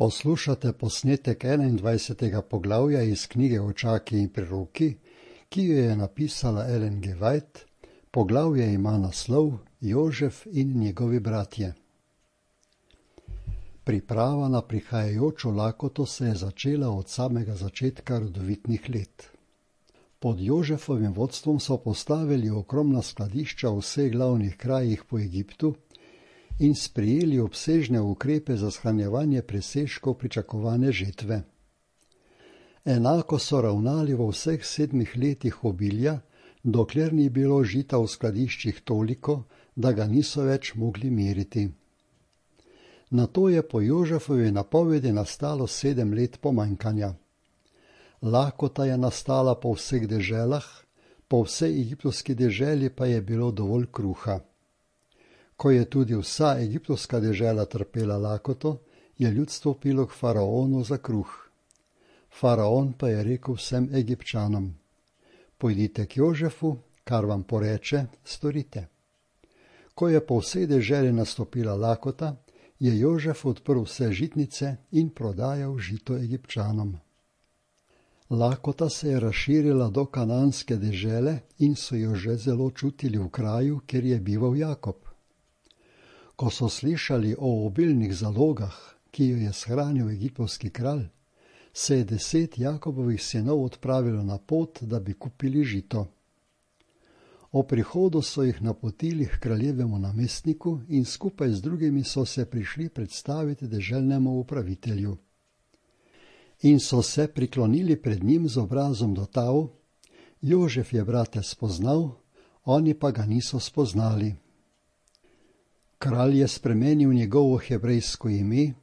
Poslušate posnetek 21. poglavja iz knjige Očaki in priroki, ki jo je napisala Ellen G. White. Poglavje ima naslov Jožef in njegovi bratje. Priprava na prihajajočo lakoto se je začela od samega začetka rodovitnih let. Pod Jožefovim vodstvom so postavili ogromna skladišča v vseh glavnih krajih po Egiptu in sprejeli obsežne ukrepe za shranjevanje presežkov pričakovane žetve. Enako so ravnali v vseh 7 letih obilja, dokler ni bilo žita v skladiščih toliko, da ga niso več mogli meriti. Nato je po Jožefovi napovedi nastalo 7 let pomanjkanja. Lakota je nastala po vseh deželah, po vsej egiptovski deželi pa je bilo dovolj kruha. Ko je tudi vsa egiptovska dežela trpela lakoto, je ljudstvo pilo k faraonu za kruh. Faraon pa je rekel vsem Egipčanom: pojdite k Jožefu, kar vam poreče, storite. Ko je po vsej deželi nastopila lakota, je Jožef odprl vse žitnice in prodajal žito Egipčanom. Lakota se je razširila do kananske dežele in so jo že zelo čutili v kraju, kjer je bival Jakob. Ko so slišali o obilnih zalogah, ki jo je shranil egiptovski kralj, se je 10 Jakobovih sinov odpravilo na pot, da bi kupili žito. O prihodu so jih napotili k kraljevemu namestniku in skupaj z drugimi so se prišli predstaviti deželnemu upravitelju. In so se priklonili pred njim z obrazom do tal. Jožef je brate spoznal, oni pa ga niso spoznali. Kralj je spremenil njegovo hebrejsko ime,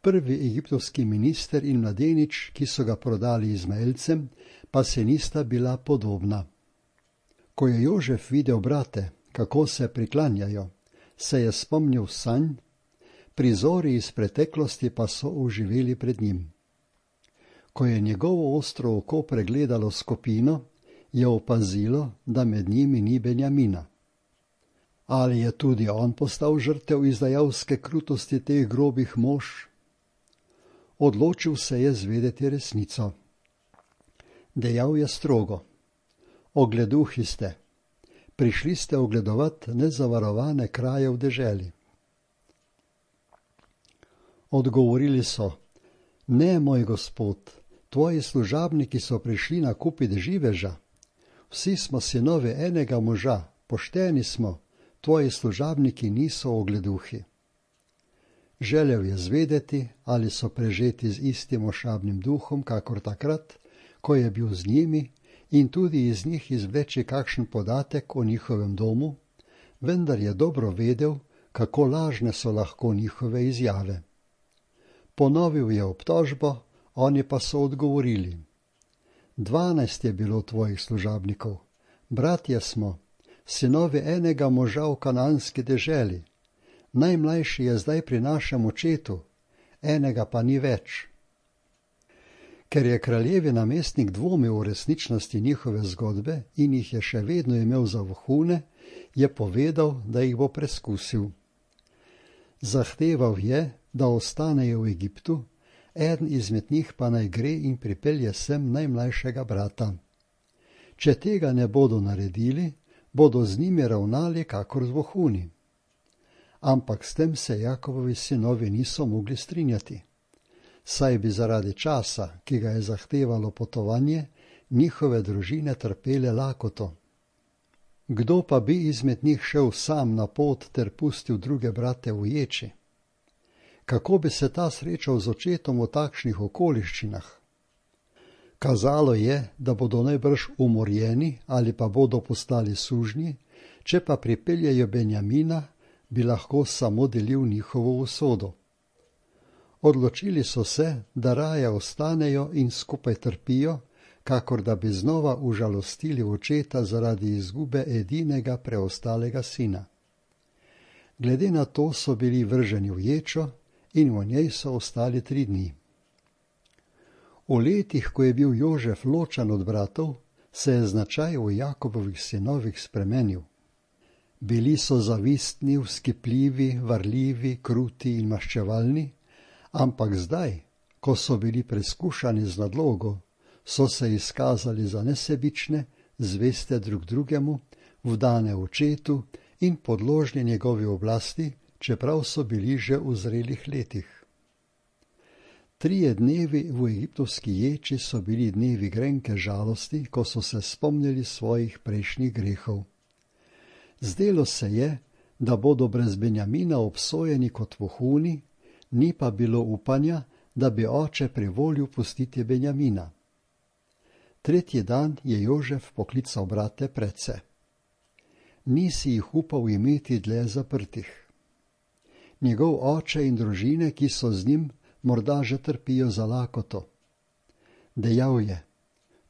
prvi egiptovski minister in mladenič, ki so ga prodali Izmaelcem, pa se nista bila podobna. Ko je Jožef videl brate, kako se priklanjajo, se je spomnil sanj, prizori iz preteklosti pa so oživeli pred njim. Ko je njegovo ostro oko pregledalo skupino, je opazilo, da med njimi ni Benjamina. Ali je tudi on postal žrtev izdajalske krutosti teh grobih mož? Odločil se je zvedeti resnico. Dejal je strogo: ogleduhi ste, prišli ste ogledovat nezavarovane kraje v deželi. Odgovorili so: ne, moj gospod, tvoji služabniki so prišli nakupiti živeža. Vsi smo sinovi enega moža, pošteni smo, tvoji služabniki niso ogleduhi. Želel je zvedeti, ali so prežeti z istim ošabnim duhom, kakor takrat, ko je bil z njimi, in tudi iz njih izvleči kakšen podatek o njihovem domu, vendar je dobro vedel, kako lažne so lahko njihove izjave. Ponovil je obtožbo, oni pa so odgovorili: 12 je bilo tvojih služabnikov, bratje smo, sinovi enega moža v kananski deželi. Najmlajši je zdaj pri našem očetu, enega pa ni več. Ker je kraljevi namestnik dvomil o resničnosti njihove zgodbe in jih je še vedno imel za vohune, je povedal, da jih bo preskusil. Zahteval je, da ostanejo v Egiptu, eden izmed njih pa naj gre in pripelje sem najmlajšega brata. Če tega ne bodo naredili, bodo z njimi ravnali kakor z vohuni. Ampak s tem se Jakobovi sinovi niso mogli strinjati, saj bi zaradi časa, ki ga je zahtevalo potovanje, njihove družine trpele lakoto. Kdo pa bi izmed njih šel sam na pot ter pustil druge brate v ječi? Kako bi se ta srečal z očetom v takšnih okoliščinah? Kazalo je, da bodo najbrž umorjeni ali pa bodo postali sužnji, če pa pripeljejo Benjamina, bi lahko samo delil njihovo usodo. Odločili so se, da raje ostanejo in skupaj trpijo, kakor da bi znova užalostili očeta zaradi izgube edinega preostalega sina. Glede na to so bili vrženi v ječo in v njej so ostali 3 dni. V letih, ko je bil Jožef ločen od bratov, se je značaj v Jakobovih sinovih spremenil. Bili so zavistni, vzkipljivi, varljivi, kruti in maščevalni, Ampak zdaj, ko so bili preskušani z nadlogo, so se izkazali za nesebične, zveste drug drugemu, vdane očetu in podložni njegovi oblasti, čeprav so bili že v zrelih letih. 3 dnevi v egiptovski ječi so bili dnevi grenke žalosti, ko so se spomnili svojih prejšnjih grehov. Zdelo se je, da bodo brez Benjamina obsojeni kot vohuni, ni pa bilo upanja, da bi oče privolil pustiti Benjamina. 3. dan je Jožef poklical brate predse. Nisi jih upal imeti dlje zaprtih. Njegov oče in družine, ki so z njim, morda že trpijo za lakoto. Dejal je,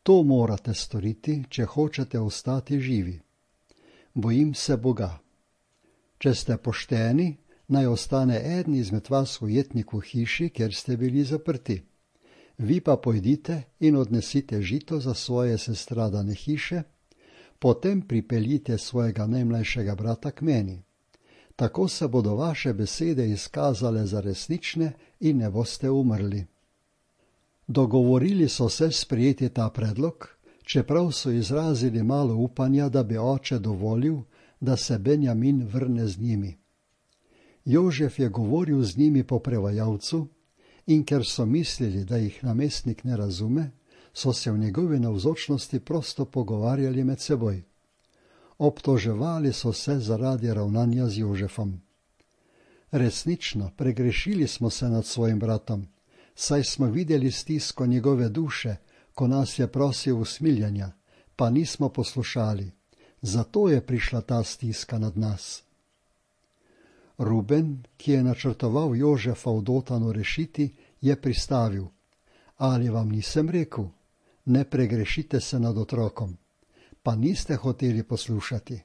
to morate storiti, če hočete ostati živi. Bojim se Boga. Če ste pošteni, naj ostane eden izmed vas ujetnik v hiši, kjer ste bili zaprti. Vi pa pojdite in odnesite žito za svoje sestradane hiše, potem pripeljite svojega najmlajšega brata k meni. Tako se bodo vaše besede izkazale za resnične in ne boste umrli. Dogovorili so se sprejeti ta predlog, čeprav so izrazili malo upanja, da bi oče dovolil, da se Benjamin vrne z njimi. Jožef je govoril z njimi po prevajalcu in ker so mislili, da jih namestnik ne razume, so se v njegovi navzočnosti prosto pogovarjali med seboj. Obtoževali so se zaradi ravnanja z Jožefom. Resnično, pregrešili smo se nad svojim bratom, saj smo videli stisko njegove duše, ko nas je prosil usmiljanja, pa nismo poslušali. Zato je prišla ta stiska nad nas. Ruben, ki je načrtoval Jožefa v Dotanu rešiti, je pristavil. Ali vam nisem rekel, ne pregrešite se nad otrokom, pa niste hoteli poslušati.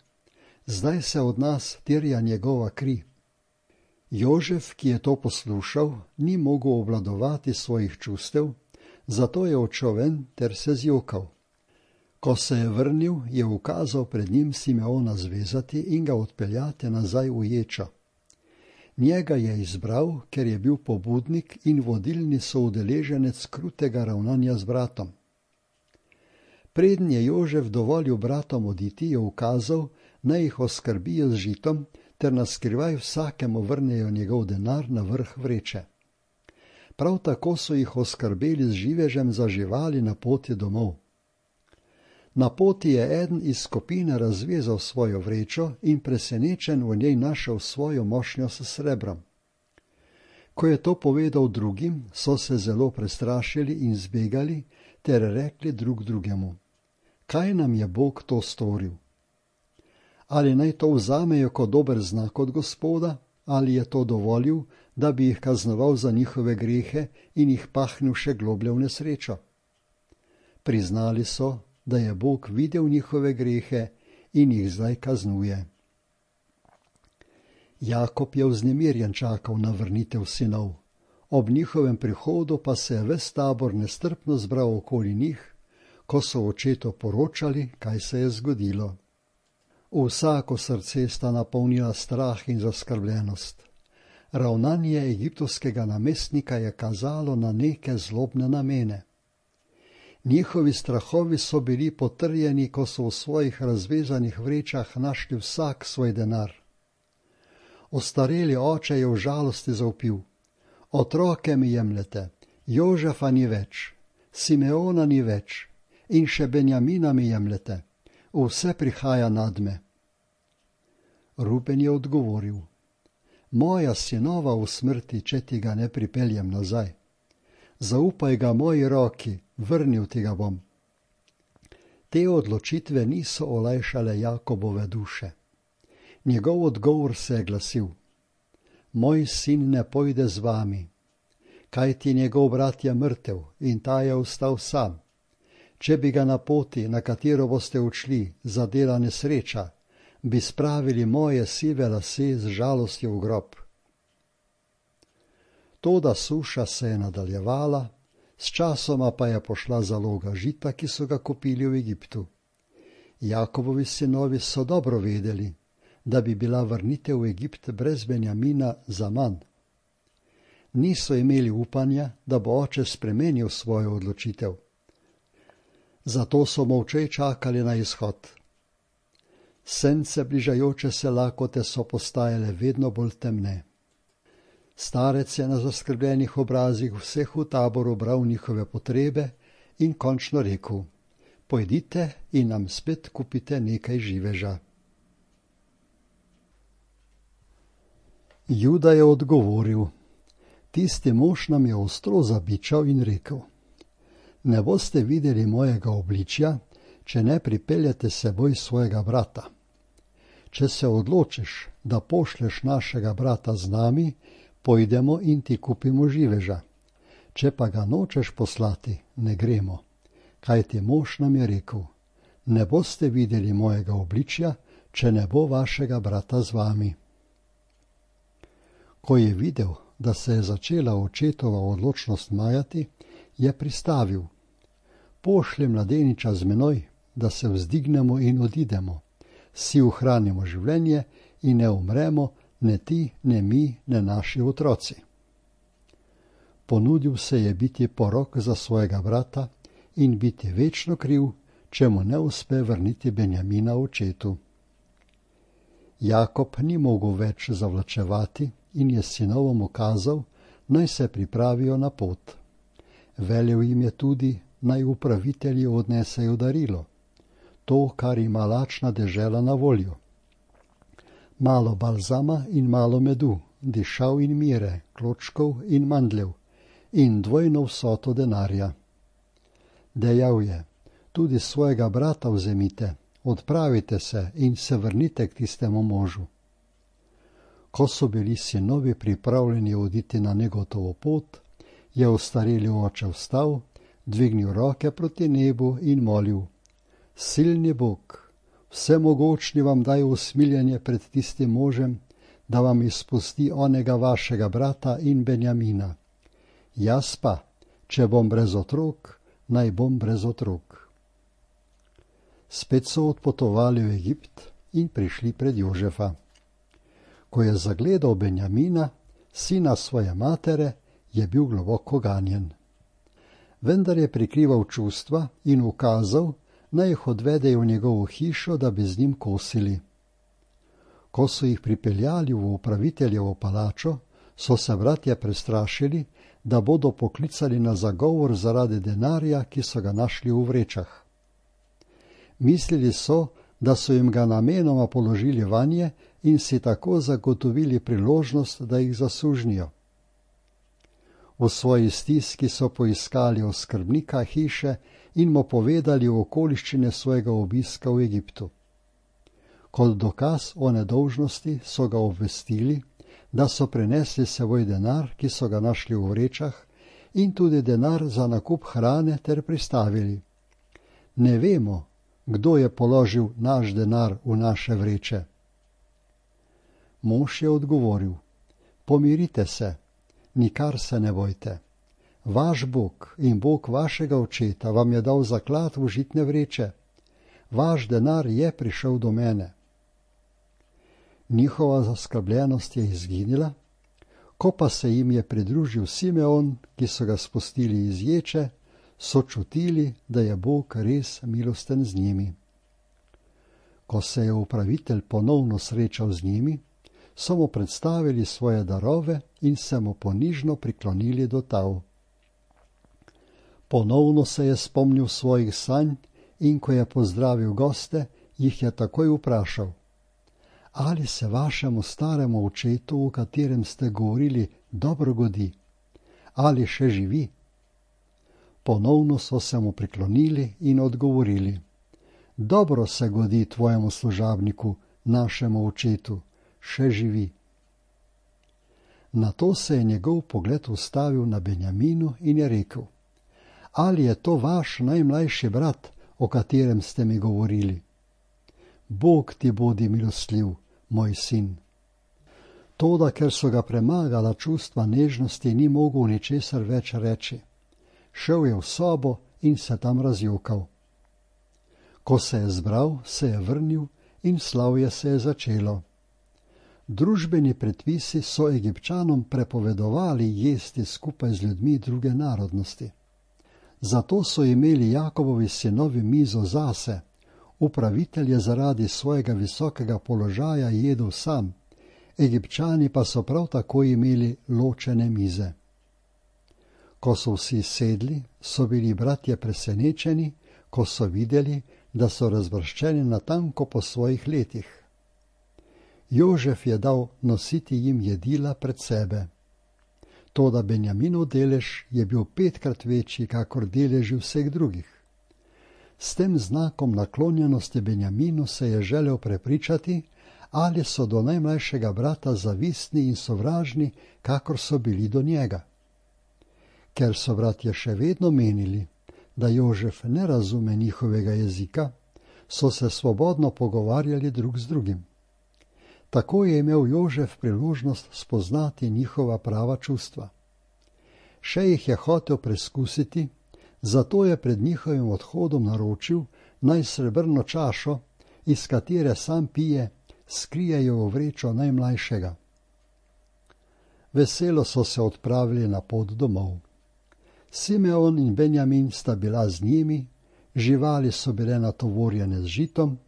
Zdaj se od nas terja njegova kri. Jožef, ki je to poslušal, ni mogel obvladovati svojih čustev, zato je odšel ven ter se zjokal. Ko se je vrnil, je ukazal pred njim Simeona zvezati in ga odpeljati nazaj v ječo. Njega je izbral, ker je bil pobudnik in vodilni soudeleženec krutega ravnanja z bratom. Preden je Jožef dovolil bratom oditi, je ukazal, naj jih oskrbijo z žitom, ter naskrivaj vsakemu vrnejo njegov denar na vrh vreče. Prav tako so jih oskrbeli z živežem za živali na poti domov. Na poti je eden iz skupine razvezal svojo vrečo in presenečen v njej našel svojo mošnjo s srebrom. Ko je to povedal drugim, so se zelo prestrašili in zbegali ter rekli drug drugemu: Kaj nam je Bog to storil? Ali naj to vzamejo kot dober znak od Gospoda, ali je to dovolil, da bi jih kaznoval za njihove grehe in jih pahnil še globlje v nesrečo? Priznali so, da je Bog videl njihove grehe in jih zdaj kaznuje. Jakob je vznemirjen čakal na vrnitev sinov. Ob njihovem prihodu pa se je ves tabor nestrpno zbral okoli njih, ko so očetu poročali, kaj se je zgodilo. Vsako srce sta napolnila strah in zaskrbljenost. Ravnanje egiptovskega namestnika je kazalo na neke zlobne namene. Njihovi strahovi so bili potrjeni, ko so v svojih razvezanih vrečah našli vsak svoj denar. Ostareli oče je v žalosti zavpil: Otroke mi jemljete, Jožefa ni več, Simeona ni več in še Benjamina mi jemljete. Vse prihaja nad me. Ruben je odgovoril: Moja sinova v smrti, če ti ga ne pripeljem nazaj. Zaupaj ga moji roki, vrnil ti ga bom. Te odločitve niso olajšale Jakobove duše. Njegov odgovor se je glasil: Moj sin ne pojde z vami, kajti njegov brat je mrtev in ta je ostal sam. Če bi ga na poti, na katero boste odšli, zadela nesreča, bi spravili moje sive lase z žalostjo v grob. Toda suša se je nadaljevala, sčasoma pa je pošla zaloga žita, ki so ga kupili v Egiptu. Jakobovi sinovi so dobro vedeli, da bi bila vrnitev v Egipt brez Benjamina zaman. niso imeli upanja, da bo oče spremenil svojo odločitev. Zato so molče čakali na izhod. Sence bližajoče se lakote so postajale vedno bolj temne. Starec je na zaskrbljenih obrazih vseh v taboru bral njihove potrebe in končno rekel: pojdite in nam spet kupite nekaj živeža. Juda je odgovoril: tisti mož nam je ostro zabičal in rekel: ne boste videli mojega obličja, če ne pripeljete seboj svojega brata. Če se odločiš, da pošlješ našega brata z nami, pojdemo in ti kupimo živeža. Če pa ga nočeš poslati, ne gremo. Kajti mož nam je rekel: ne boste videli mojega obličja, če ne bo vašega brata z vami. Ko je videl, da se je začela očetova odločnost majati, je pristavil: pošlji mladeniča z menoj, da se vzdignemo in odidemo, si ohranimo življenje in ne umremo, ne ti, ne mi, ne naši otroci. Ponudil se je biti porok za svojega brata in biti večno kriv, če mu ne uspe vrniti Benjamina očetu. Jakob ni mogel več zavlačevati in je sinovom ukazal, naj se pripravijo na pot. Velel jim je tudi, naj upravitelji odnesejo darilo, to, kar ima lačna dežela na voljo. Malo balzama in malo medu, dišav in mire, kločkov in mandljev in dvojno vsoto denarja. Dejal je: tudi svojega brata vzemite, odpravite se in se vrnite k tistemu možu. Ko so bili sinovi pripravljeni oditi na negotovo pot, je ostareli oče vstal, dvignil roke proti nebu in molil: silni Bog, vsemogočni vam daj usmiljenje pred tistim možem, da vam izpusti onega vašega brata in Benjamina. Jaz pa, če bom brez otrok, naj bom brez otrok. Spet so odpotovali v Egipt in prišli pred Jožefa. Ko je zagledal Benjamina, sina svoje matere, je bil globoko ganjen. Vendar je prikrival čustva in ukazal, naj jih odvedejo v njegovo hišo, da bi z njim kosili. Ko so jih pripeljali v upraviteljevo palačo, so se bratje prestrašili, da bodo poklicali na zagovor zaradi denarja, ki so ga našli v vrečah. Mislili so, da so jim ga namenoma položili vanje in si tako zagotovili priložnost, da jih zasužnijo. V svoji stiski so poiskali oskrbnika hiše in mu povedali okoliščine svojega obiska v Egiptu. Kot dokaz o nedolžnosti so ga obvestili, da so prinesli seboj denar, ki so ga našli v vrečah, in tudi denar za nakup hrane ter pristavili: ne vemo, kdo je položil naš denar v naše vreče. Mož je odgovoril: pomirite se, nikar se ne bojte. Vaš Bog in Bog vašega očeta vam je dal zaklad v žitne vreče. Vaš denar je prišel do mene. Njihova zaskrbljenost je izginila, ko pa se jim je pridružil Simeon, ki so ga spustili iz ječe, so čutili, da je Bog res milosten z njimi. Ko se je upravitelj ponovno srečal z njimi, so mu predstavili svoje darove in se mu ponižno priklonili do tal. Ponovno se je spomnil svojih sanj in ko je pozdravil goste, jih je takoj vprašal: ali se vašemu staremu očetu, o katerem ste govorili, dobro godi? Ali še živi? Ponovno so se mu priklonili in odgovorili: dobro se godi tvojemu služabniku, našemu očetu, še živi. Nato se je njegov pogled ustavil na Benjaminu in je rekel: ali je to vaš najmlajši brat, o katerem ste mi govorili? Bog ti bodi milostljiv, moj sin. Toda, ker so ga premagala čustva nežnosti, ni mogel ničesar več reči. Šel je v sobo in se tam razjokal. Ko se je zbral, se je vrnil in slavje se je začelo. Družbeni predpisi so Egipčanom prepovedovali jesti skupaj z ljudmi druge narodnosti. Zato so imeli Jakobovi sinovi mizo zase, upravitelj je zaradi svojega visokega položaja jedel sam, Egipčani pa so prav tako imeli ločene mize. Ko so vsi sedli, so bili bratje presenečeni, ko so videli, da so razvrščeni natanko po svojih letih. Jožef je dal nositi jim jedila pred sebe. Toda Benjaminov delež je bil 5-krat večji, kakor deleži vseh drugih. S tem znakom naklonjenosti Benjaminu se je želel prepričati, ali so do najmlajšega brata zavistni in sovražni, kakor so bili do njega. Ker so bratje še vedno menili, da Jožef ne razume njihovega jezika, so se svobodno pogovarjali drug z drugim. Tako je imel Jožef priložnost spoznati njihova prava čustva. Še jih je hotel preskusiti, zato je pred njihovim odhodom naročil, naj srebrno čašo, iz katere sam pije, skrijejo v vrečo najmlajšega. Veselo so se odpravili na pot domov. Simeon in Benjamin sta bila z njimi, živali so bile natovorjene z žitom,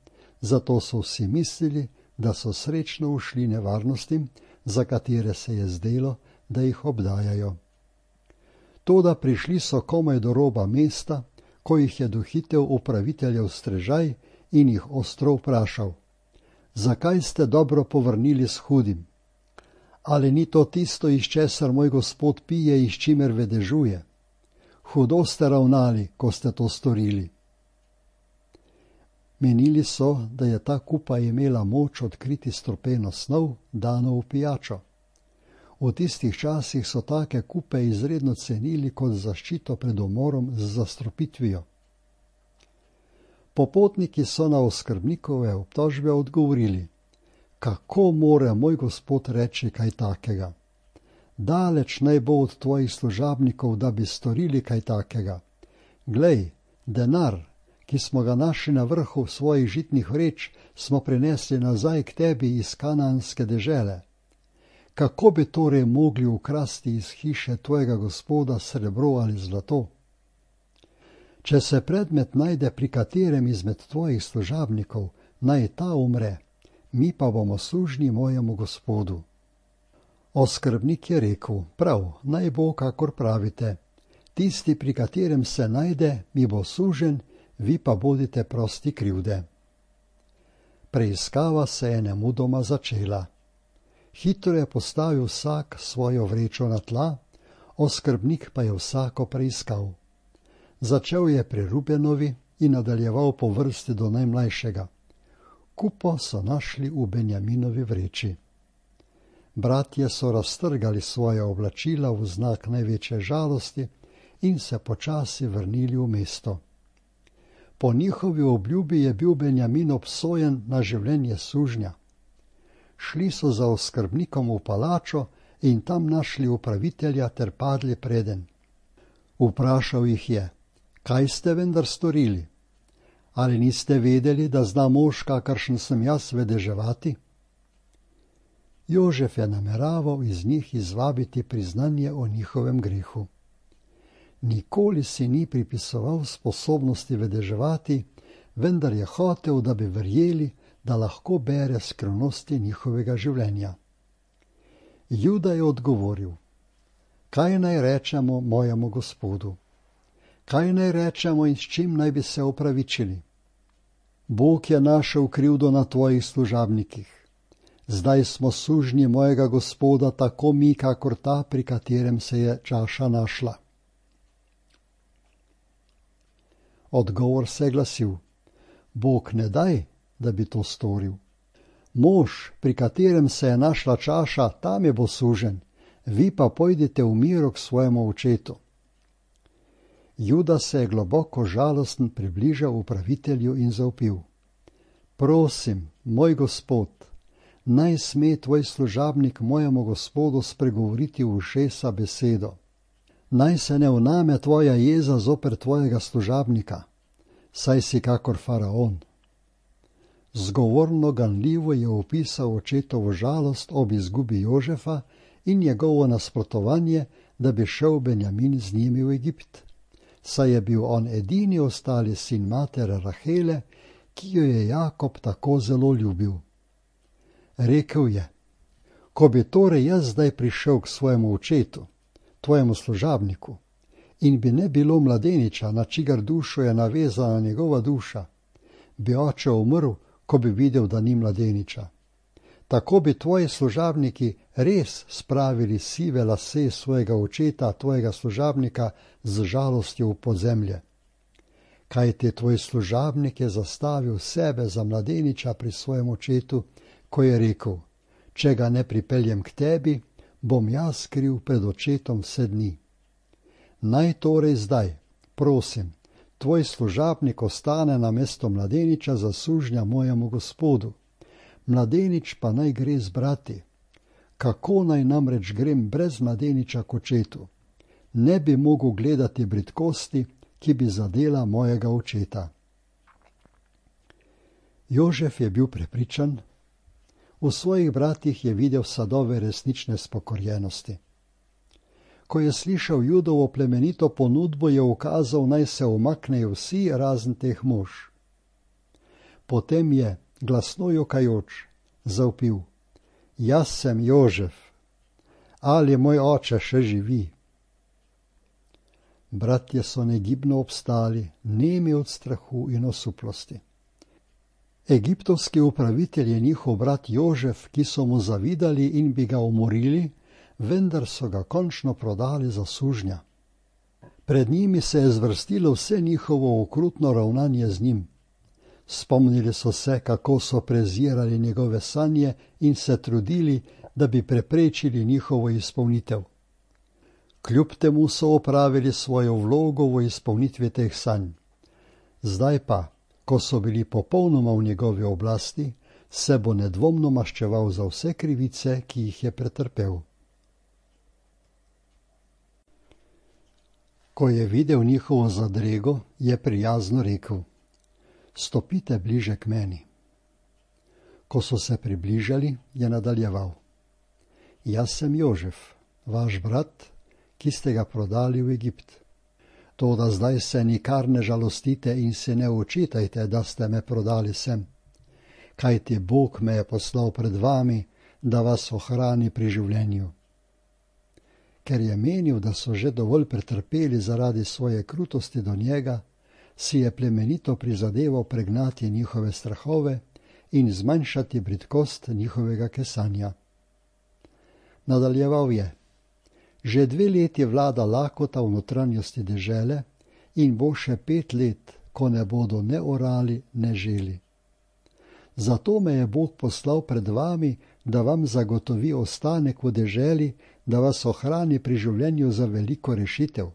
zato so vsi mislili, da so srečno ušli nevarnostim, za katere se je zdelo, da jih obdajajo. Toda prišli so komaj do roba mesta, ko jih je dohitel upraviteljev strežaj in jih ostro vprašal: zakaj ste dobro povrnili s hudim? Ali ni to tisto, iz česar moj gospod pije in s čimer vedežuje? Hudo ste ravnali, ko ste to storili. Menili so, da je ta kupa imela moč odkriti strupeno snov, dano v pijačo. V tistih časih so take kupe izredno cenili kot zaščito pred umorom z zastrupitvijo. Popotniki so na oskrbnikove obtožbe odgovorili: kako more moj gospod reči kaj takega? Daleč naj bo od tvojih služabnikov, da bi storili kaj takega. Glej, denar, ki smo ga našli na vrhu svojih žitnih vreč, smo prinesli nazaj k tebi iz kanaanske dežele. Kako bi torej mogli ukrasti iz hiše tvojega gospoda srebro ali zlato? Če se predmet najde pri katerem izmed tvojih služabnikov, naj ta umre, mi pa bomo sužnji mojemu gospodu. Oskrbnik je rekel: prav, naj bo, kakor pravite. Tisti, pri katerem se najde, mi bo sužen, vi pa bodite prosti krivde. Preiskava se je nemudoma začela. Hitro je postavil vsak svojo vrečo na tla, oskrbnik pa je vsako preiskal. Začel je pri Rubenovi in nadaljeval po vrsti do najmlajšega. Kupo so našli v Benjaminovi vreči. Bratje so raztrgali svoje oblačila v znak največje žalosti in se počasi vrnili v mesto. Po njihovi obljubi je bil Benjamin obsojen na življenje sužnja. Šli so za oskrbnikom v palačo in tam našli upravitelja ter padli preden. Vprašal jih je: kaj ste vendar storili? Ali niste vedeli, da zna mož, kakršen sem jaz, vedeževati? Jožef je nameraval iz njih izvabiti priznanje o njihovem grehu. Nikoli si ni pripisoval sposobnosti vedeževati, vendar je hotel, da bi verjeli, da lahko bere skrivnosti njihovega življenja. Juda je odgovoril: kaj naj rečemo mojemu gospodu? Kaj naj rečemo in s čim naj bi se opravičili? Bog je našel krivdo na tvojih služabnikih. Zdaj smo sužnji mojega gospoda, tako mi, kakor ta, pri katerem se je čaša našla. Odgovor se je glasil: Bog ne daj, da bi to storil. Mož, pri katerem se je našla čaša, tam je bo sužen, vi pa pojdite v miru k svojemu očetu. Juda se je globoko žalosten približal upravitelju in zavpil: prosim, moj gospod, naj sme tvoj služabnik mojemu gospodu spregovoriti v ušesa besedo. Naj se ne vname tvoja jeza zoper tvojega služabnika, saj si kakor faraon. Zgovorno ganljivo je opisal očetovo žalost ob izgubi Jožefa in njegovo nasprotovanje, da bi šel Benjamin z njimi v Egipt, saj je bil on edini ostali sin matere Rahele, ki jo je Jakob tako zelo ljubil. Rekel je: ko bi torej jaz zdaj prišel k svojemu očetu, tvojemu služabniku, in bi ne bilo mladeniča, na čigar dušo je navezana njegova duša, bi oče umrl, ko bi videl, da ni mladeniča. Tako bi tvoji služabniki res spravili sive lase svojega očeta, tvojega služabnika, z žalostjo v podzemlje. Kajti tvoj služabnik je zastavil sebe za mladeniča pri svojem očetu, ko je rekel: če ga ne pripeljem k tebi, bom jaz kriv pred očetom vse dni. Naj torej zdaj, prosim, tvoj služabnik ostane na mesto mladeniča za sužnja mojemu gospodu, mladenič pa naj gre z brati. Kako naj namreč grem brez mladeniča k očetu? Ne bi mogel gledati bridkosti, ki bi zadela mojega očeta. Jožef je bil prepričan, v svojih bratih je videl sadove resnične spokorjenosti. Ko je slišal Judovo plemenito ponudbo, je ukazal, naj se umaknejo vsi razen teh mož. Potem je, glasno jokajoč, zavpil: jaz sem Jožef, ali moj oče še živi? Bratje so negibno obstali, nemi od strahu in osuplosti. Egiptovski upravitelj je njihov brat Jožef, ki so mu zavidali in bi ga umorili, vendar so ga končno prodali za sužnja. Pred njimi se je zvrstilo vse njihovo okrutno ravnanje z njim. Spomnili so se, kako so prezirali njegove sanje in se trudili, da bi preprečili njihovo izpolnitev. Kljub temu so opravili svojo vlogo v izpolnitvi teh sanj. Zdaj pa, ko so bili popolnoma v njegovi oblasti, se bo nedvomno maščeval za vse krivice, ki jih je pretrpel. Ko je videl njihovo zadrego, je prijazno rekel: stopite bliže k meni. Ko so se približali, je nadaljeval: jaz sem Jožef, vaš brat, ki ste ga prodali v Egipt. Toda zdaj se nikar ne žalostite in se ne očitajte, da ste me prodali sem. Kajti Bog me je poslal pred vami, da vas ohrani pri življenju. Ker je menil, da so že dovolj pretrpeli zaradi svoje krutosti do njega, si je plemenito prizadeval pregnati njihove strahove in zmanjšati bridkost njihovega kesanja. Nadaljeval je: že 2 leti vlada lakota v notranjosti dežele in bo še 5 let, ko ne bodo ne orali, ne želi. Zato me je Bog poslal pred vami, da vam zagotovi ostanek v deželi, da vas ohrani pri življenju za veliko rešitev.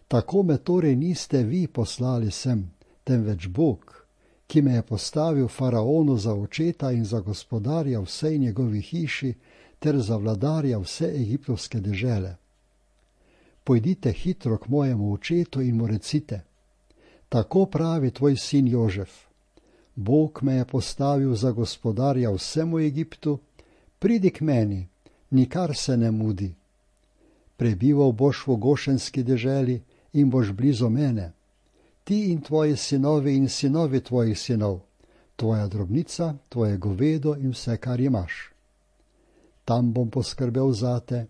Tako me torej niste vi poslali sem, temveč Bog, ki me je postavil faraonu za očeta in za gospodarja vsej njegovi hiši ter za vladarja vse egiptovske dežele. Pojdite hitro k mojemu očetu in mu recite: tako pravi tvoj sin Jožef, Bog me je postavil za gospodarja vsemu Egiptu, pridi k meni, nikar se ne mudi. Prebival boš v Gošenski deželi in boš blizu mene, ti in tvoji sinovi in sinovi tvojih sinov, tvoja drobnica, tvoje govedo in vse, kar imaš. Tam bom poskrbel zate,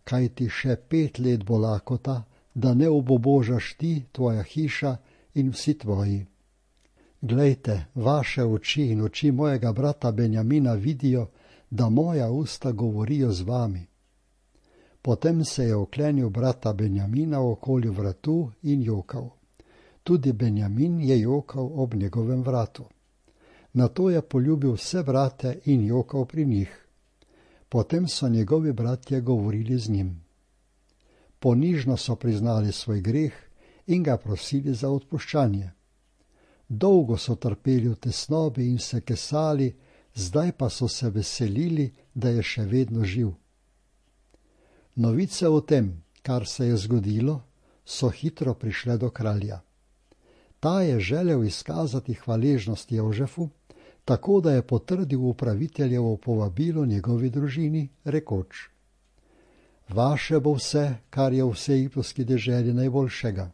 kaj ti še 5 let bo lakota, da ne obobožaš ti, tvoja hiša in vsi tvoji. Glejte, vaše oči in oči mojega brata Benjamina vidijo, da moja usta govorijo z vami. Potem se je oklenil brata Benjamina okoli vratu in jokal. Tudi Benjamin je jokal ob njegovem vratu. Nato je poljubil vse brate in jokal pri njih. Potem so njegovi bratje govorili z njim. Ponižno so priznali svoj greh in ga prosili za odpuščanje. Dolgo so trpeli v tesnobi in se kesali, zdaj pa so se veselili, da je še vedno živ. Novice o tem, kar se je zgodilo, so hitro prišle do kralja. Ta je želel izkazati hvaležnost Jožefu, tako da je potrdil upraviteljevo povabilo njegovi družini, rekoč: Vaše bo vse, kar je v vsej egiptovski deželi najboljšega.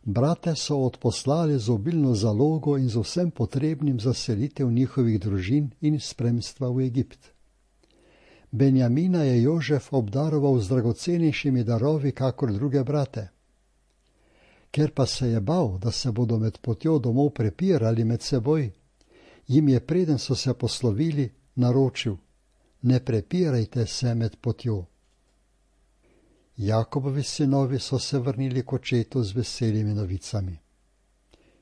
Brate so odposlali z obilno zalogo in z vsem potrebnim za selitev njihovih družin in spremstva v Egipt. Benjamina je Jožef obdaroval z dragocenejšimi darovi kakor druge brate. Ker pa se je bal, da se bodo med potjo domov prepirali med seboj, jim je, preden so se poslovili, naročil: Ne prepirajte se med potjo. Jakobovi sinovi so se vrnili k očetu z veselimi novicami.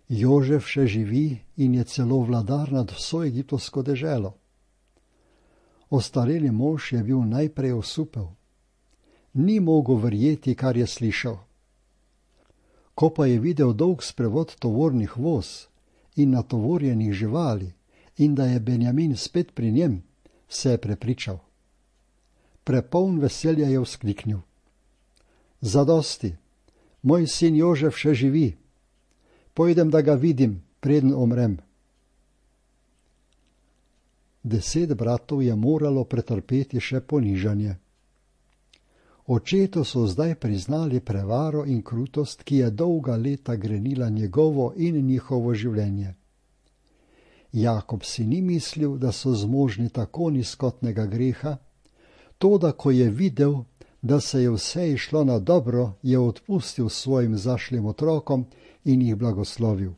Jožef še živi in je celo vladar nad vso egiptovsko deželo. Ostareli mož je bil najprej osupel. Ni mogel verjeti, kar je slišal. Ko pa je videl dolg sprevod tovornih voz in natovorjenih živali in da je Benjamin spet pri njem, se je prepričal. Prepoln veselja je vzkliknil: Zadosti, moj sin Jožef še živi. Pojdem, da ga vidim, preden umrem. 10 bratov je moralo pretrpeti še ponižanje. Očetu so zdaj priznali prevaro in krutost, ki je dolga leta grenila njegovo in njihovo življenje. Jakob si ni mislil, da so zmožni tako nizkotnega greha, toda ko je videl, da se je vse išlo na dobro, je odpustil svojim zašlim otrokom in jih blagoslovil.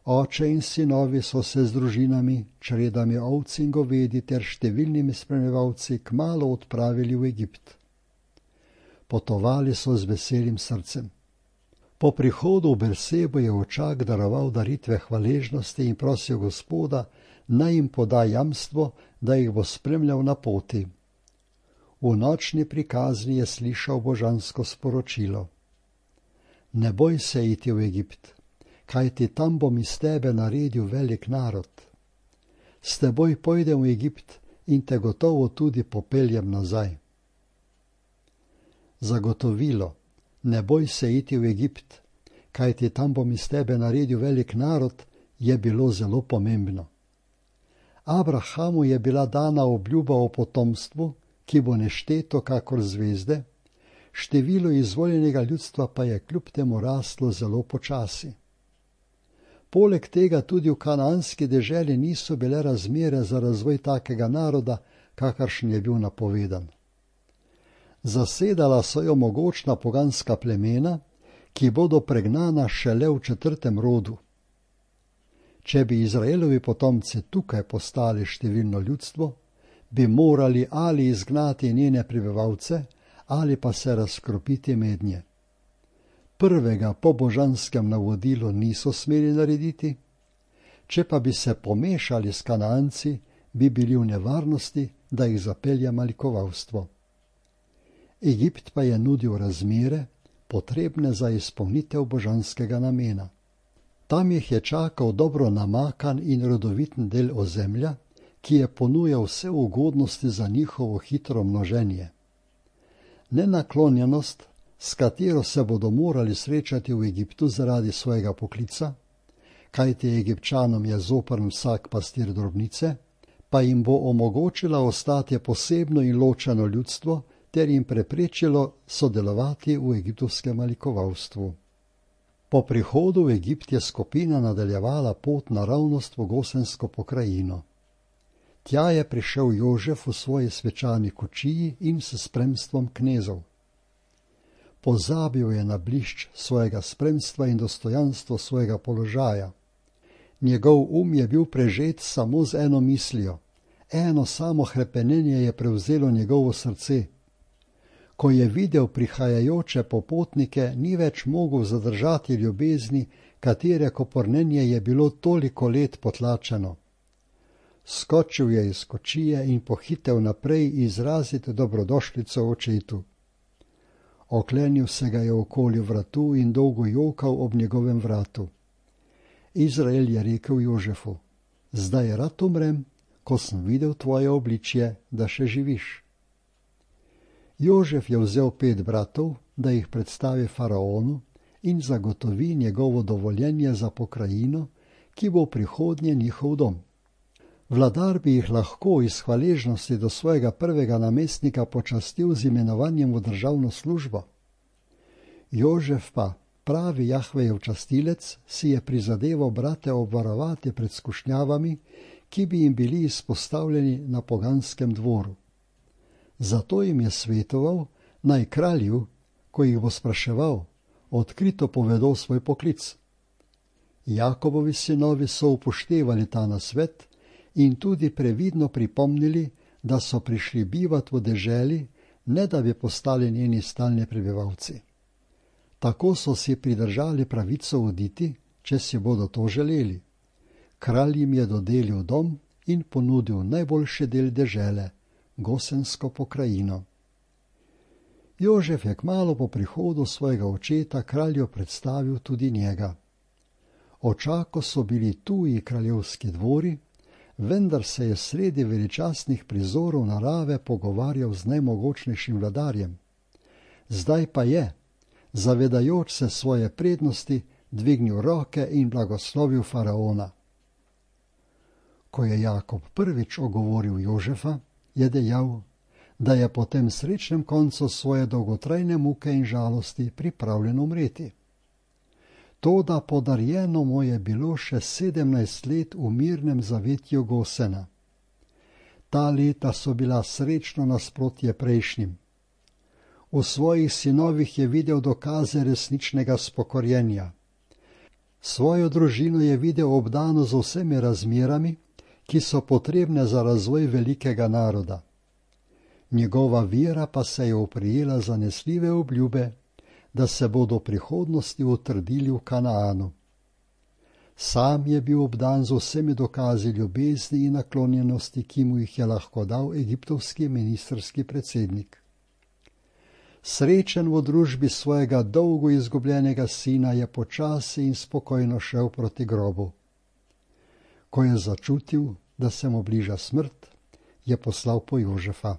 Oče in sinovi so se z družinami, čredami ovc in govedi ter številnimi spremljevalci kmalu odpravili v Egipt. Potovali so z veselim srcem. Po prihodu v Bersebo je očak daroval daritve hvaležnosti in prosil Gospoda, naj jim poda jamstvo, da jih bo spremljal na poti. V nočni prikazni je slišal božansko sporočilo: Ne boj se iti v Egipt, kajti tam bom iz tebe naredil velik narod. S teboj pojdem v Egipt in te gotovo tudi popeljem nazaj. Zagotovilo: Ne boj se iti v Egipt, kajti tam bom iz tebe naredil velik narod, je bilo zelo pomembno. Abrahamu je bila dana obljuba o potomstvu, ki bo nešteto kakor zvezde, število izvoljenega ljudstva pa je kljub temu raslo zelo počasi. Poleg tega tudi v kanaanski deželi niso bile razmere za razvoj takega naroda, kakršen je bil napovedan. Zasedala so jo mogočna poganska plemena, ki bodo pregnana šele v 4. rodu. Če bi Izraelovi potomci tukaj postali številno ljudstvo, bi morali ali izgnati njene prebivalce, ali pa se razkropiti mednje. Prvega po božanskem navodilu niso smeli narediti, če pa bi se pomešali s Kanaanci, bi bili v nevarnosti, da jih zapelje malikovalstvo. Egipt pa je nudil razmere, potrebne za izpolnitev božanskega namena. Tam jih je čakal dobro namakan in rodoviten del ozemlja, ki je ponujal vse ugodnosti za njihovo hitro množenje. Nenaklonjenost, s katero se bodo morali srečati v Egiptu zaradi svojega poklica, kajti Egipčanom je zoprn vsak pastir drobnice, pa jim bo omogočila ostati posebno in ločeno ljudstvo ter jim preprečilo sodelovati v egiptovskem malikovalstvu. Po prihodu v Egipt je skupina nadaljevala pot naravnost v Gosensko pokrajino. Tja je prišel Jožef v svoji svečani kočiji in s spremstvom knezov. Pozabil je na blišč svojega spremstva in dostojanstvo svojega položaja. Njegov je bil prežet samo z eno mislijo, eno samo hrepenenje je prevzelo njegovo srce. Ko je videl prihajajoče popotnike, ni več mogel zadržati ljubezni, katere kopornenje je bilo toliko let potlačeno. Skočil je iz kočije in pohitev naprej izraziti dobrodošlico očetu. Oklenil se ga je okoli vratu in dolgo jokal ob njegovem vratu. Izrael je rekel Jožefu: Zdaj rad umrem, ko sem videl tvoje obličje, da še živiš. Jožef je vzel 5 bratov, da jih predstavi faraonu in zagotovi njegovo dovoljenje za pokrajino, ki bo prihodnje njihov dom. Vladar bi jih lahko iz hvaležnosti do svojega prvega namestnika počastil z imenovanjem v državno službo. Jožef pa, pravi Jahvejev častilec, si je prizadeval brate obvarovati pred skušnjavami, ki bi jim bili izpostavljeni na poganskem dvoru. Zato jim je svetoval, naj kralju, ko jih bo spraševal, odkrito povedo svoj poklic. Jakobovi sinovi so upoštevali ta nasvet in tudi previdno pripomnili, da so prišli bivat v deželi, ne da bi postali njeni stalni prebivalci. Tako so si pridržali pravico oditi, če si bodo to želeli. Kralj jim je dodelil dom in ponudil najboljši del dežele, Gosensko pokrajino. Jožef je kmalu po prihodu svojega očeta kralju predstavil tudi njega. Očako so bili tuji kraljevski dvori, vendar se je sredi veličastnih prizorov narave pogovarjal z najmogočnejšim vladarjem. Zdaj pa je, zavedajoč se svoje prednosti, dvignil roke in blagoslovil faraona. Ko je Jakob prvič ogovoril Jožefa, je dejal, da je po tem srečnem koncu svoje dolgotrajne muke in žalosti pripravljen umreti. Toda podarjeno mu je bilo še 17 let v mirnem zavetju Gosena. Ta leta so bila srečno nasprotje prejšnjim. V svojih sinovih je videl dokaze resničnega spokorjenja. Svojo družino je videl obdano z vsemi razmerami, ki so potrebne za razvoj velikega naroda. Njegova vera pa se je oprijela zanesljive obljube, da se bodo v prihodnosti utrdili v Kanaanu. Sam je bil obdan z vsemi dokazi ljubezni in naklonjenosti, ki mu jih je lahko dal egiptovski ministrski predsednik. Srečen v družbi svojega dolgo izgubljenega sina je počasi in spokojno šel proti grobu. Ko je začutil, da se mu bliža smrt, je poslal po Jožefa.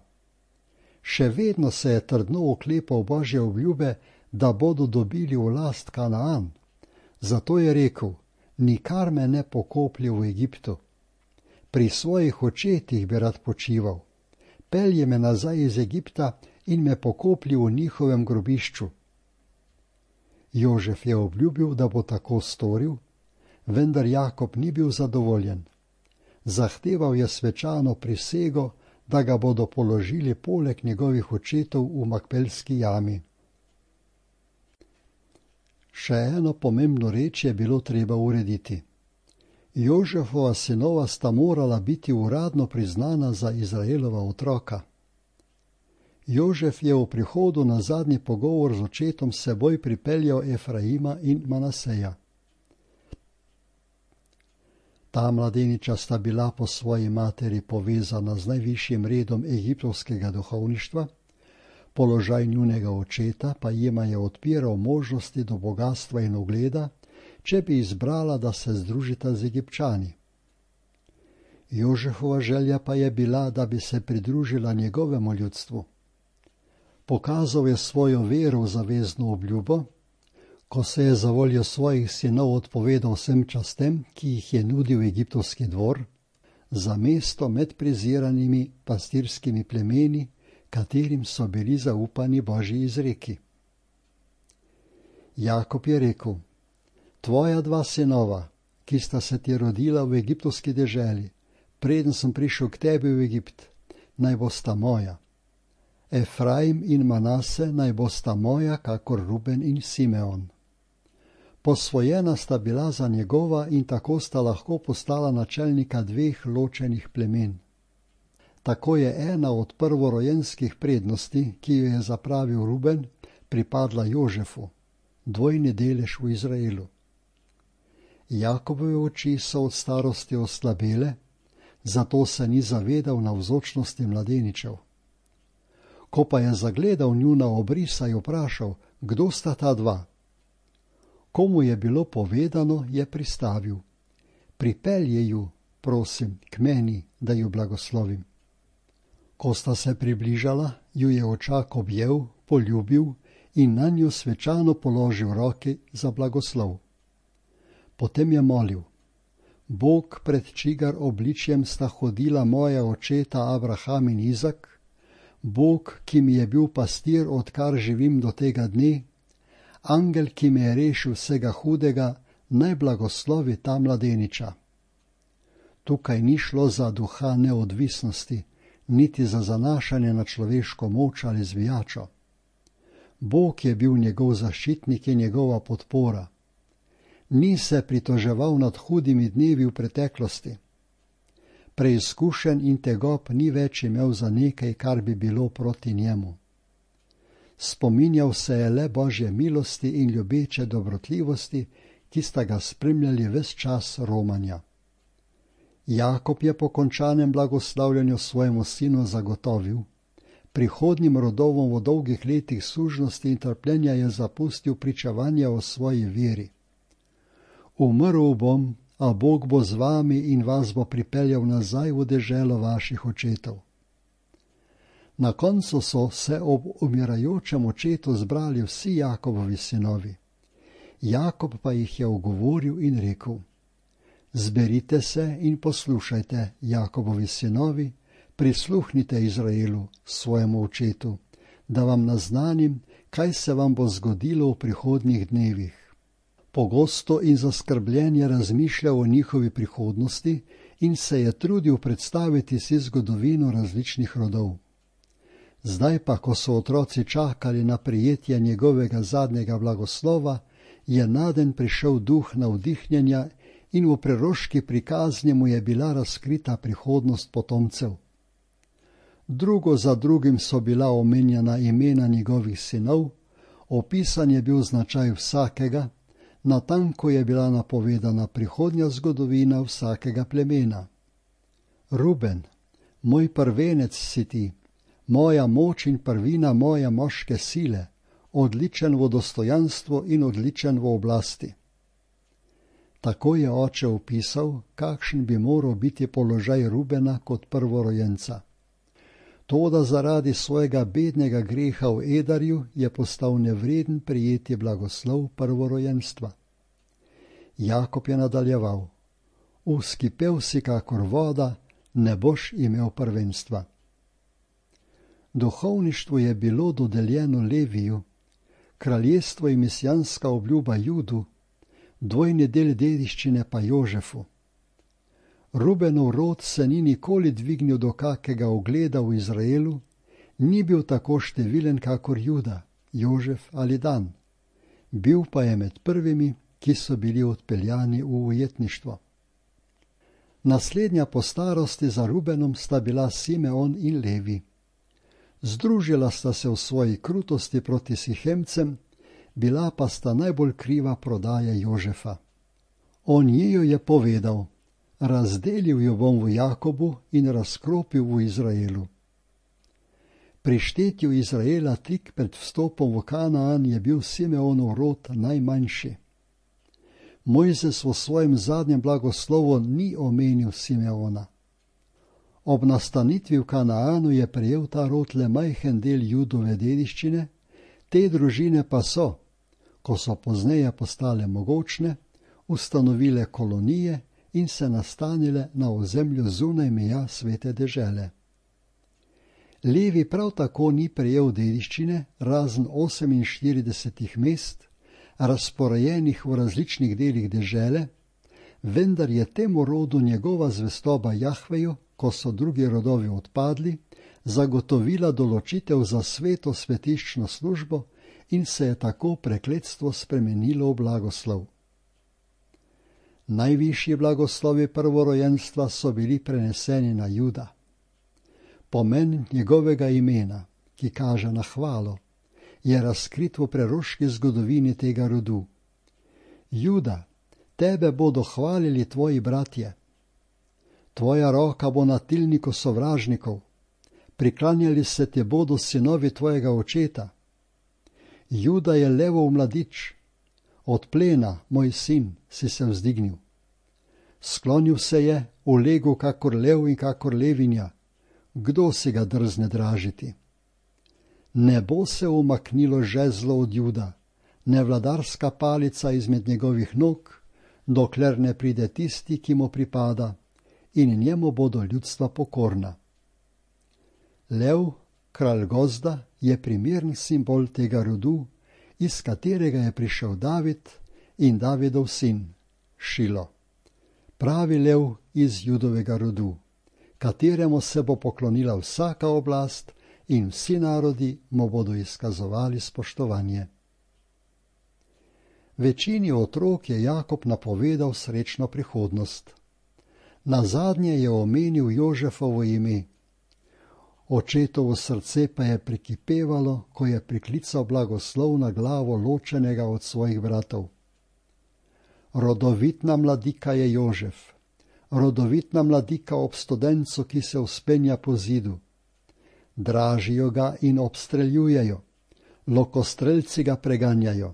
Še vedno se je trdno oklepal Božje obljube, da bodo dobili v last Kanaan. Zato je rekel, nikar me ne pokoplje v Egiptu. Pri svojih očetih bi rad počival. Pelje me nazaj iz Egipta in me pokoplji v njihovem grobišču. Jožef je obljubil, da bo tako storil, vendar Jakob ni bil zadovoljen. Zahteval je svečano prisego, da ga bodo položili poleg njegovih očetov v Makpelski jami. Še eno pomembno reč je bilo treba urediti. Jožefova sinova sta morala biti uradno priznana za Izraelova otroka. Jožef je v prihodu na zadnji pogovor z očetom seboj pripeljal Efraima in Manaseja. Ta mladeniča sta bila po svoji materi povezana z najvišjim redom egiptovskega duhovništva, položaj njunega očeta pa jima je odpiral možnosti do bogatstva in ugleda, če bi izbrala, da se združita z Egipčani. Jožefova želja pa je bila, da bi se pridružila njegovemu ljudstvu. Pokazal je svojo vero v zavezno obljubo, ko se je za voljo svojih sinov odpovedal vsem častem, ki jih je nudil egiptovski dvor, za mesto med preziranimi pastirskimi plemeni, katerim so bili zaupani Božji izreki. Jakob je rekel, tvoja dva sinova, ki sta se ti rodila v egiptovski deželi, preden sem prišel k tebi v Egipt, naj bosta moja. Efraim in Manase naj bosta moja, kakor Ruben in Simeon. Posvojena sta bila za njegova in tako sta lahko postala načelnika dveh ločenih plemen. Tako je ena od prvorojenskih prednosti, ki jo je zapravil Ruben, pripadla Jožefu, dvojni delež v Izraelu. Jakobove oči so od starosti oslabele, zato se ni zavedal navzočnosti mladeničev. Ko pa je zagledal njuna obrisa, je vprašal, kdo sta ta dva. Komu je bilo povedano, je pristavil. Pripelje ju, prosim, k meni, da ju blagoslovim. Ko sta se približala, ju je očak objel, poljubil in na njo svečano položil roke za blagoslov. Potem je molil, Bog, pred čigar obličjem sta hodila moja očeta Abraham in Izak, Bog, ki mi je bil pastir, odkar živim do tega dne, angel, ki me je rešil vsega hudega, naj blagoslovi ta mladeniča. Tukaj ni šlo za duha neodvisnosti, niti za zanašanje na človeško moč ali zvijačo. Bog je bil njegov zaščitnik in njegova podpora. Ni se pritoževal nad hudimi dnevi v preteklosti. Preizkušen in tegob ni več imel za nekaj, kar bi bilo proti njemu. Spominjal se je le Božje milosti in ljubeče dobrotljivosti, ki sta ga spremljali ves čas romanja. Jakob je po končanem blagoslavljanju svojemu sinu zagotovil: prihodnjim rodovom v dolgih letih sužnosti in trpljenja je zapustil pričevanje o svoji veri. Umrl bom, a Bog bo z vami in vas bo pripeljal nazaj v deželo vaših očetov. Na koncu so se ob umirajočem očetu zbrali vsi Jakobovi sinovi. Jakob pa jih je ogovoril in rekel: zberite se in poslušajte, Jakobovi sinovi, prisluhnite Izraelu, svojemu očetu, da vam naznanim, kaj se vam bo zgodilo v prihodnjih dnevih. Pogosto in zaskrbljen je razmišljal o njihovi prihodnosti in se je trudil predstaviti si zgodovino različnih rodov. Zdaj pa, ko so otroci čakali na prijetje njegovega zadnjega blagoslova, je naden prišel duh navdihnjenja in v preroški prikazni mu je bila razkrita prihodnost potomcev. Drugo za drugim so bila omenjena imena njegovih sinov, opisan je bil značaj vsakega, natanko je bila napovedana prihodnja zgodovina vsakega plemena. Ruben, moj prvenec si ti, moja moč in prvina moje moške sile, odličen v dostojanstvu in odličen v oblasti. Tako je oče opisal, kakšen bi moral biti položaj Rubena kot prvorojenca. Toda zaradi svojega bednega greha v Edarju je postal nevreden prijeti blagoslov prvorojenstva. Jakob je nadaljeval: uskipel si kakor voda, ne boš imel prvenstva. Duhovništvo je bilo dodeljeno Leviju, kraljestvo in mesijanska obljuba Judu, dvojni del dediščine pa Jožefu. Rubenov rod se ni nikoli dvignil do kakega ugleda v Izraelu, ni bil tako številen kakor Juda, Jožef ali Dan. Bil pa je med prvimi, ki so bili odpeljani v ujetništvo. Naslednja po starosti za Rubenom sta bila Simeon in Levi. Združila sta se v svoji krutosti proti Sihemcem, bila pa sta najbolj kriva prodaja Jožefa. O njiju je povedal: razdelil jo bom v Jakobu in razkropil v Izraelu. Pri štetju Izraela tik pred vstopom v Kanaan je bil Simeonov rod najmanjši. Mojzes v svojem zadnjem blagoslovu ni omenil Simeona. Ob nastanitvi v Kanaanu je prejel ta rod le majhen del Judove dediščine, te družine pa so, ko so pozneje postale mogočne, ustanovile kolonije in se nastanile na ozemlju zunaj meja svete dežele. Levi prav tako ni prejel dediščine, razen 48 mest, razporejenih v različnih delih dežele, vendar je temu rodu njegova zvestoba Jahveju, ko so drugi rodovi odpadli, zagotovila določitev za sveto svetiščno službo in se je tako prekletstvo spremenilo v blagoslov. Najvišji blagoslovi prvorojenstva so bili preneseni na Juda. Pomen njegovega imena, ki kaže na hvalo, je razkrit v preroški zgodovini tega rodu. Juda, tebe bodo hvalili tvoji bratje. Tvoja roka bo na tilniku sovražnikov, priklanjali se te bodo sinovi tvojega očeta. Juda je levov mladič, od plena, moj sin, si se vzdignil. Sklonil se je, ulegel kakor lev in kakor levinja, kdo si ga drzne dražiti? Ne bo se umaknilo žezlo od Juda, ne vladarska palica izmed njegovih nog, dokler ne pride tisti, ki mu pripada, in njemu bodo ljudstva pokorna. Lev, kralj gozda, je primern simbol tega rodu, iz katerega je prišel David in Davidov sin, Šilo. Pravi lev iz Judovega rodu, kateremu se bo poklonila vsaka oblast in vsi narodi mu bodo izkazovali spoštovanje. Večini otrok je Jakob napovedal srečno prihodnost. Nazadnje je omenil Jožefovo ime. Očetovo srce pa je prikipevalo, ko je priklical blagoslov na glavo ločenega od svojih bratov. Rodovitna mladika je Jožef, rodovitna mladika ob studencu, ki se vzpenja po zidu. Dražijo ga in obstreljujejo, lokostrelci ga preganjajo.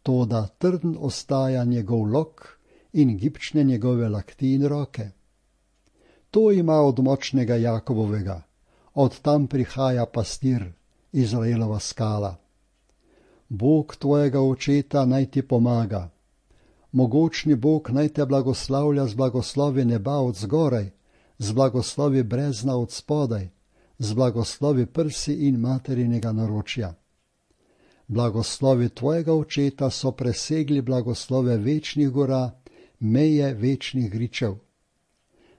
Toda trden ostaja njegov lok in gibčne njegove lakti in roke. To ima od močnega Jakobovega, od tam prihaja pastir, Izraelova skala. Bog tvojega očeta naj ti pomaga. Mogočni Bog naj te blagoslavlja z blagoslovi neba od zgoraj, z blagoslovi brezna od spodaj, z blagoslovi prsi in materinega naročja. Blagoslovi tvojega očeta so presegli blagoslove večnih gora, meje večnih gričev.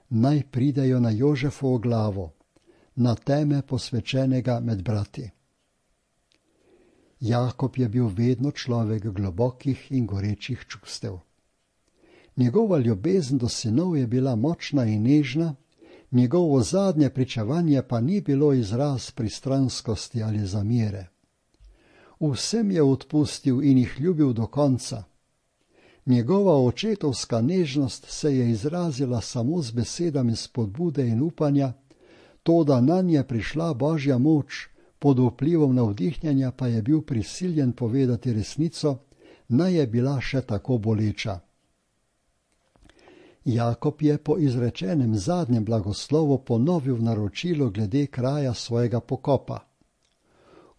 Naj pridejo na Jožefovo glavo, na teme posvečenega med brati. Jakob je bil vedno človek globokih in gorečih čustev. Njegova ljubezen do sinov je bila močna in nežna, njegovo zadnje pričevanje pa ni bilo izraz pristranskosti ali zamere. Vsem je odpustil in jih ljubil do konca. Njegova očetovska nežnost se je izrazila samo z besedami spodbude in upanja, toda nanj je prišla Božja moč, pod vplivom navdihnjenja pa je bil prisiljen povedati resnico, naj je bila še tako boleča. Jakob je po izrečenem zadnjem blagoslovu ponovil naročilo glede kraja svojega pokopa.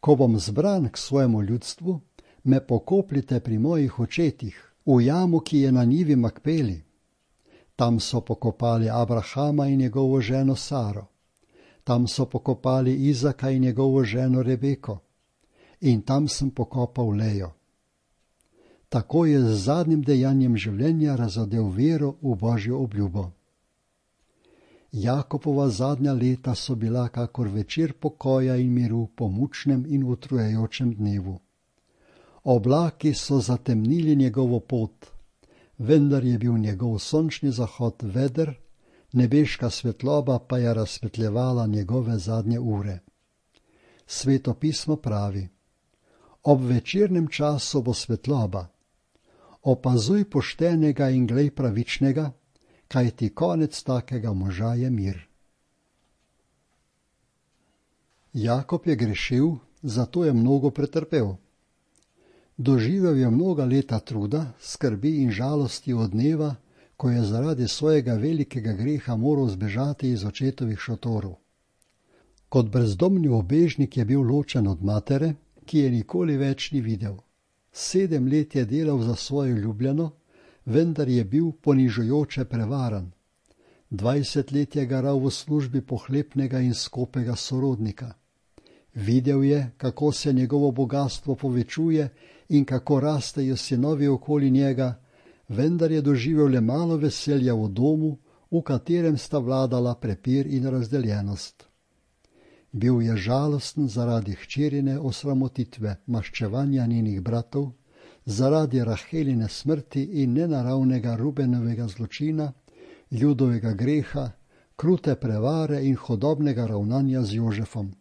Ko bom zbran k svojemu ljudstvu, me pokopljite pri mojih očetih, v jamu, ki je na njivi Makpeli. Tam so pokopali Abrahama in njegovo ženo Saro. Tam so pokopali Izaka in njegovo ženo Rebeko. In tam sem pokopal Lejo. Tako je z zadnjim dejanjem življenja razodel vero v Božjo obljubo. Jakobova zadnja leta so bila kakor večer pokoja in miru po mučnem in utrujajočem dnevu. Oblaki so zatemnili njegovo pot, vendar je bil njegov sončni zahod veder, nebeška svetloba pa je razsvetljevala njegove zadnje ure. Sveto pismo pravi: ob večernem času bo svetloba. Opazuj poštenega in glej pravičnega, kajti konec takega moža je mir. Jakob je grešil, zato je mnogo pretrpel. Doživel je mnoga leta truda, skrbi in žalosti od dneva, ko je zaradi svojega velikega greha moral zbežati iz očetovih šotorov. Kot brezdomni ubežnik je bil ločen od matere, ki je nikoli več ni videl. 7 let je delal za svojo ljubljeno, vendar je bil ponižujoče prevaran. 20 let je garal v službi pohlepnega in skopega sorodnika. Videl je, kako se njegovo bogastvo povečuje in kako rastejo sinovi okoli njega, vendar je doživel le malo veselja v domu, v katerem sta vladala prepir in razdeljenost. Bil je žalosten zaradi hčerine osramotitve, maščevanja njenih bratov, zaradi Raheline smrti in nenaravnega Rubenovega zločina, Judovega greha, krute prevare in hodobnega ravnanja z Jožefom.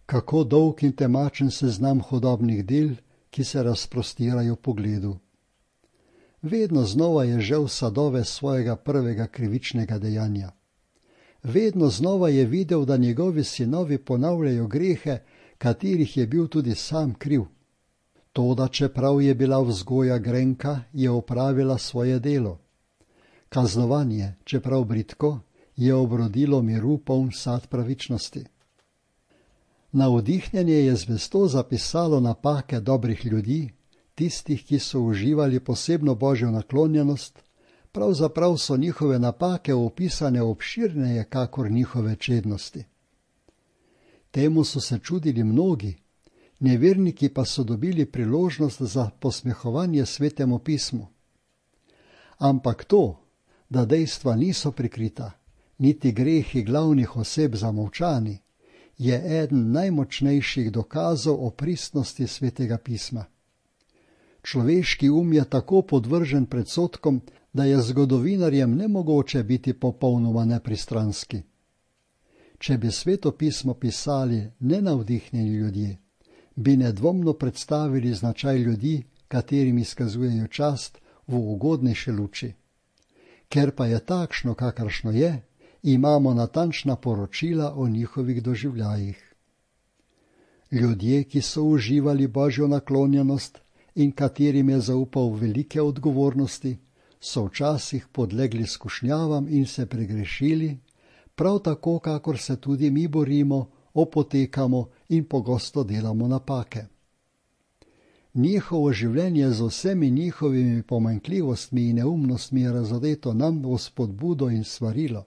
Kako dolg in temačen seznam hodobnih del, ki se razprostirajo po gledu. Vedno znova je žel sadove svojega prvega krivičnega dejanja. Vedno znova je videl, da njegovi sinovi ponavljajo grehe, katerih je bil tudi sam kriv. Toda čeprav je bila vzgoja grenka, je opravila svoje delo. Kaznovanje, čeprav bridko, je obrodilo miru poln sad pravičnosti. Navdihnjenje je zvesto zapisalo napake dobrih ljudi, tistih, ki so uživali posebno božjo naklonjenost, pravzaprav so njihove napake opisane obširneje kakor njihove čednosti. Temu so se čudili mnogi, neverniki pa so dobili priložnost za posmehovanje Svetemu pismu. Ampak to, da dejstva niso prikrita, niti grehi glavnih oseb zamolčani, je eden najmočnejših dokazov o pristnosti Svetega pisma. Človeški je tako podvržen predsodkom, da je zgodovinarjem nemogoče biti popolnoma nepristranski. Če bi Sveto pismo pisali nenavdihnjeni ljudje, bi nedvomno predstavili značaj ljudi, katerim izkazujejo čast, v ugodnejše luči. Ker pa je takšno, kakršno je, imamo natančna poročila o njihovih doživljajih. Ljudje, ki so uživali božjo naklonjenost in katerim je zaupal velike odgovornosti, so včasih podlegli skušnjavam in se pregrešili, prav tako, kakor se tudi mi borimo, opotekamo in pogosto delamo napake. Njihovo življenje z vsemi njihovimi pomanjkljivostmi in neumnostmi je razodeto nam v spodbudo in svarilo.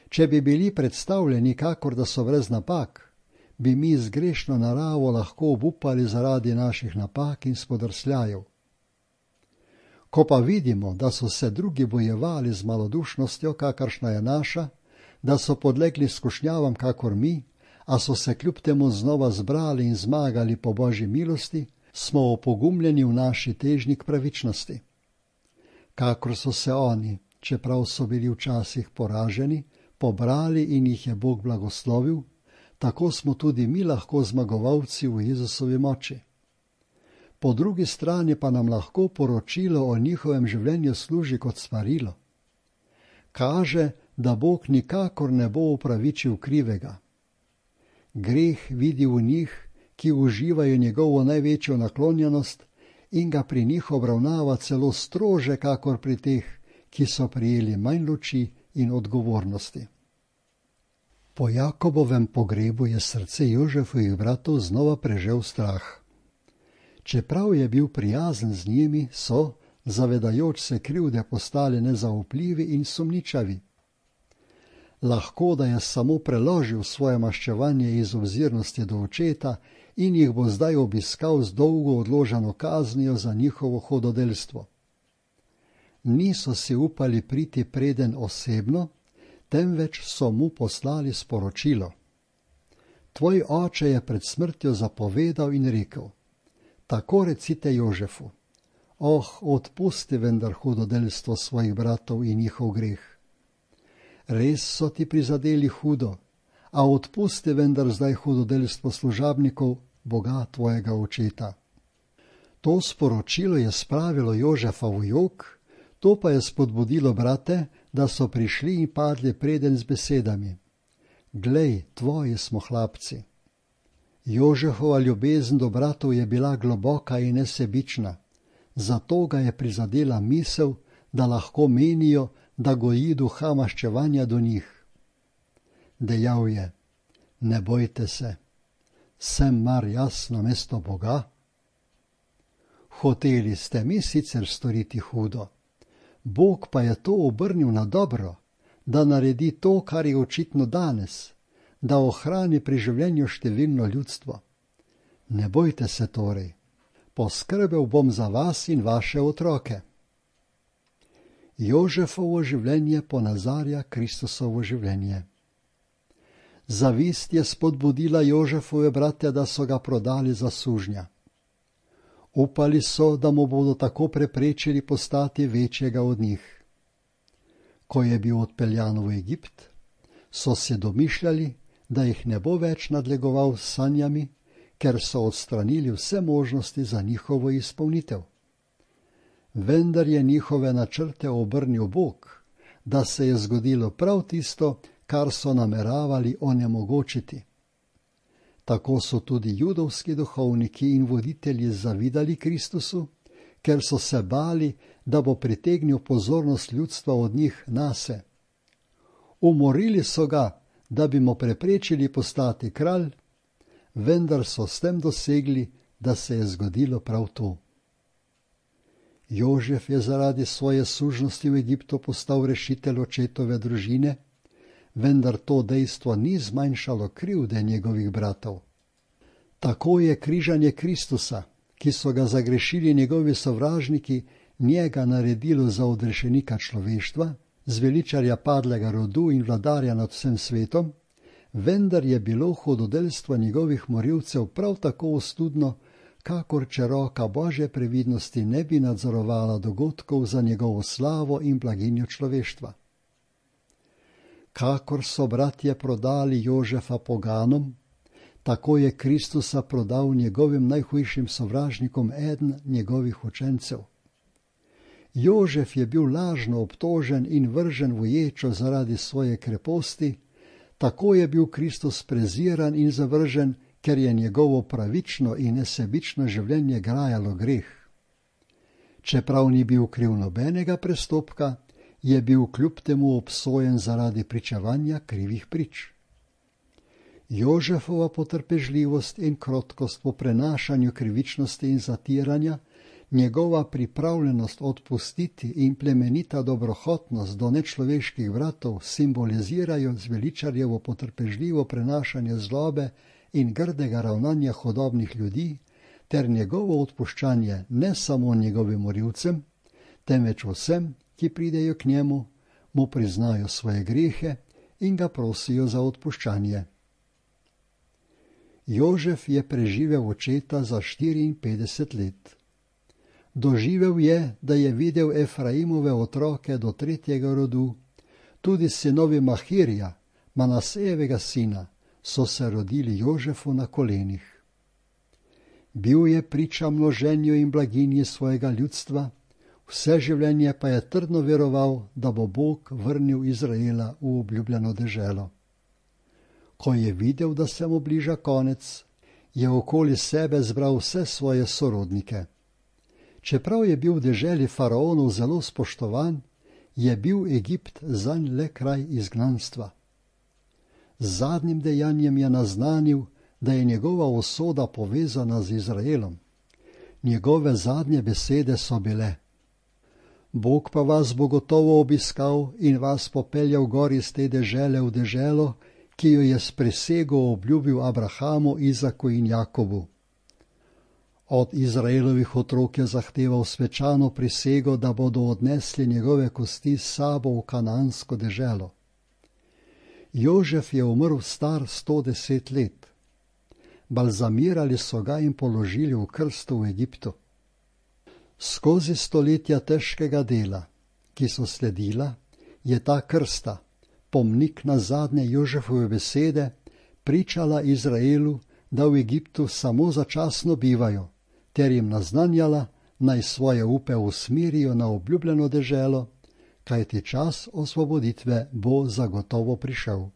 Če bi bili predstavljeni kakor da so brez napak, bi mi z grešno naravo lahko obupali zaradi naših napak in spodrsljajev. Ko pa vidimo, da so se drugi bojevali z malodušnostjo, kakršna je naša, da so podlegli skušnjavam kakor mi, a so se kljub temu znova zbrali in zmagali po božji milosti, smo opogumljeni v naši težnji k pravičnosti. Kakor so se oni, čeprav so bili včasih poraženi, pobrali in jih je Bog blagoslovil, tako smo tudi mi lahko zmagovalci v Jezusovi moči. Po drugi strani pa nam lahko poročilo o njihovem življenju služi kot svarilo. Kaže, da Bog nikakor ne bo upravičil krivega. Greh vidi v njih, ki uživajo njegovo največjo naklonjenost in ga pri njih obravnava celo strože, kakor pri teh, ki so prijeli manj luči in odgovornosti. Po Jakobovem pogrebu je srce Jožefovih bratov znova prežel strah. Čeprav je bil prijazen z njimi, so, zavedajoč se krivde, postali nezaupljivi in sumničavi. Lahko, da je samo preložil svoje maščevanje iz obzirnosti do očeta in jih bo zdaj obiskal z dolgo odloženo kaznijo za njihovo hudodelstvo. Niso si upali priti preden osebno, temveč so mu poslali sporočilo. Tvoj oče je pred smrtjo zapovedal in rekel, tako recite Jožefu, odpusti vendar hudodelstvo svojih bratov in njihov greh. Res so ti prizadeli hudo, a odpusti vendar zdaj hudodelstvo služabnikov Boga tvojega očeta. To sporočilo je spravilo Jožefa v jok, to pa je spodbudilo brate, da so prišli in padli preden z besedami. Glej, tvoji smo hlapci. Jožefova ljubezen do bratov je bila globoka in nesebična, zato ga je prizadela misel, da lahko menijo, da goji duha maščevanja do njih. Dejal je, ne bojte se, sem mar jaz namesto Boga? Hoteli ste mi sicer storiti hudo, Bog pa je to obrnil na dobro, da naredi to, kar je očitno danes, da ohrani pri življenju številno ljudstvo. Ne bojte se torej, poskrbel bom za vas in vaše otroke. Jožefovo življenje ponazarja Kristusovo življenje. Zavist je spodbudila Jožefove brate, da so ga prodali za sužnja. Upali so, da mu bodo tako preprečili postati večjega od njih. Ko je bil odpeljan v Egipt, so se domišljali, da jih ne bo več nadlegoval s sanjami, ker so odstranili vse možnosti za njihovo izpolnitev. Vendar je njihove načrte obrnil Bog, da se je zgodilo prav tisto, kar so nameravali onemogočiti. Tako so tudi judovski duhovniki in voditelji zavidali Kristusu, ker so se bali, da bo pritegnil pozornost ljudstva od njih nase. Umorili so ga, da bi mu preprečili postati kralj, vendar so s tem dosegli, da se je zgodilo prav to. Jožef je zaradi svoje sužnosti v Egiptu postal rešitelj očetove družine, vendar to dejstvo ni zmanjšalo krivde njegovih bratov. Tako je križanje Kristusa, ki so ga zagrešili njegovi sovražniki, njega naredilo za odrešenika človeštva, zveličarja padlega rodu in vladarja nad vsem svetom, vendar je bilo hudodelstvo njegovih morilcev prav tako ostudno, kakor če roka Božje previdnosti ne bi nadzorovala dogodkov za njegovo slavo in blaginjo človeštva. Kakor so bratje prodali Jožefa poganom, tako je Kristusa prodal njegovim najhujšim sovražnikom eden njegovih učencev. Jožef je bil lažno obtožen in vržen v ječo zaradi svoje kreposti, tako je bil Kristus preziran in zavržen, ker je njegovo pravično in nesebično življenje grajalo greh. Čeprav ni bil kriv nobenega prestopka, je bil kljub temu obsojen zaradi pričevanja krivih prič. Jožefova potrpežljivost in krotkost po prenašanju krivičnosti in zatiranja, njegova pripravljenost odpustiti in plemenita dobrohotnost do nečloveških bratov simbolizirajo zveličarjevo potrpežljivo prenašanje zlobe in grdega ravnanja hudobnih ljudi ter njegovo odpuščanje ne samo njegovim morilcem, temveč vsem, ki pridejo k njemu, mu priznajo svoje grehe in ga prosijo za odpuščanje. Jožef je preživel očeta za 54 let. Doživel je, da je videl Efraimove otroke do 3. rodu, tudi sinovi Mahirja, Manasejevega sina, so se rodili Jožefu na kolenih. Bil je priča množenju in blaginji svojega ljudstva, vse življenje pa je trdno veroval, da bo Bog vrnil Izraela v obljubljeno deželo. Ko je videl, da se mu bliža konec, je okoli sebe zbral vse svoje sorodnike. Čeprav je bil v deželi faraonov zelo spoštovan, je bil Egipt zanj le kraj izgnanstva. Z zadnjim dejanjem je naznanil, da je njegova usoda povezana z Izraelom. Njegove zadnje besede so bile: Bog pa vas bo gotovo obiskal in vas popeljal gor iz te dežele v deželo, ki jo je s prisego obljubil Abrahamu, Izaku in Jakobu. Od Izraelovih otrok je zahteval svečano prisego, da bodo odnesli njegove kosti s sabo v kanansko deželo. Jožef je umrl star 110 let. Balzamirali so ga in položili v krsto v Egiptu. Skozi stoletja težkega dela, ki so sledila, je ta krsta, pomnik na zadnje Jožefove besede, pričala Izraelu, da v Egiptu samo začasno bivajo, ter jim naznanjala, naj svoje upe usmerijo na obljubljeno deželo, kajti čas osvoboditve bo zagotovo prišel.